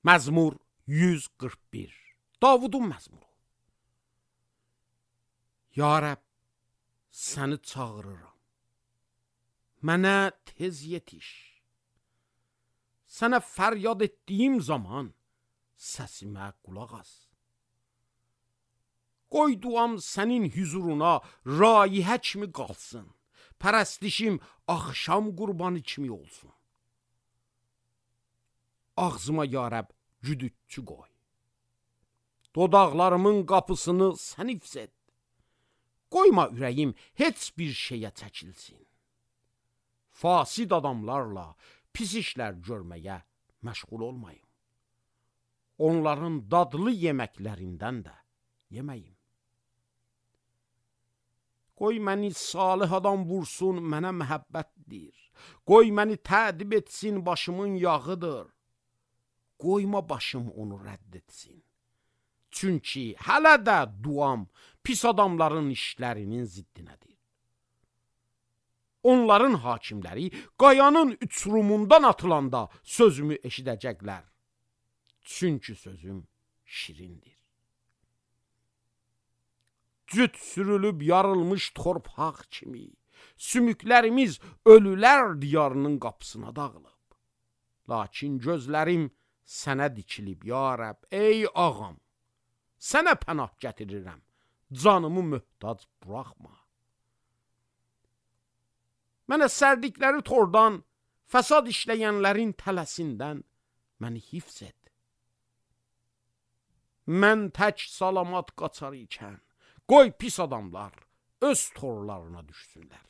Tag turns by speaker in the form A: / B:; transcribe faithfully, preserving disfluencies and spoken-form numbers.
A: Məzmur yüz qırx bir. Davudun məzmuru. Ya Rəbb, səni çağırıram. Mənə tez yetiş. Sənə fəryad etdiyim zaman səsimə qulaq as. Qoy duam sənin hüzuruna raihə kimi qalsın. Pərəstişim axşam qurbanı kimi olsun. Ağzıma ya Rəbb güdütçü qoy. Dodaqlarımın qapısını sən hifz et. Qoyma ürəyim heç bir şeyə çəkilsin. Fasid adamlarla pis işlər görməyə məşğul olmayım. Onların dadlı yeməklərindən də yeməyim. Qoy məni salih adam vursun, mənə məhəbbətdir. Qoy məni tədib etsin, başımın yağıdır. Qoyma başım onu rədd etsin. Çünki hələ də duam pis adamların işlərinin ziddinədir. Onların hakimləri qayanın uçurumundan atılanda sözümü eşidəcəklər. Çünki sözüm şirindir. Cüt sürülüb yarılmış torpaq kimi, sümüklərimiz ölülər diyarının qapısına dağılıb. Lakin gözlərim sənə dikilib, ya Rəbb, ey ağam, sənə pənah gətirirəm, canımı möhtac buraxma. Mənə sərdikləri tordan, fəsad işləyənlərin tələsindən məni hifz et. Mən tək salamat qaçar ikən, qoy pis adamlar öz torlarına düşsünlər.